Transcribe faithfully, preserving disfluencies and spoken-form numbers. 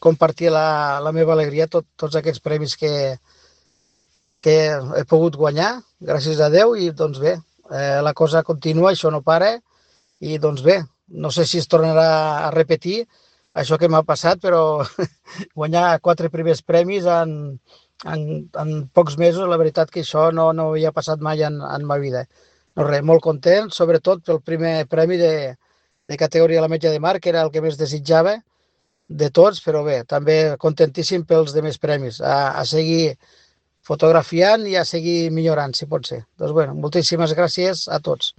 compartir la, la meva alegria, tot, tots aquests premis que, que he pogut guanyar, gràcies a Déu, i doncs bé, eh, la cosa continua, això no para, i doncs bé, no sé si es tornarà a repetir això que m'ha passat, però guanyar quatre primers premis en, en, en pocs mesos, la veritat que això no, no havia passat mai en, en ma vida. No res, molt content, sobretot pel primer premi de, de categoria a la metja de mar, que era el que més desitjava de tots, però bé, també contentíssim pels demés premis. A, a seguir fotografiant i a seguir millorant, si pot ser. Doncs bueno, moltíssimes gràcies a tots.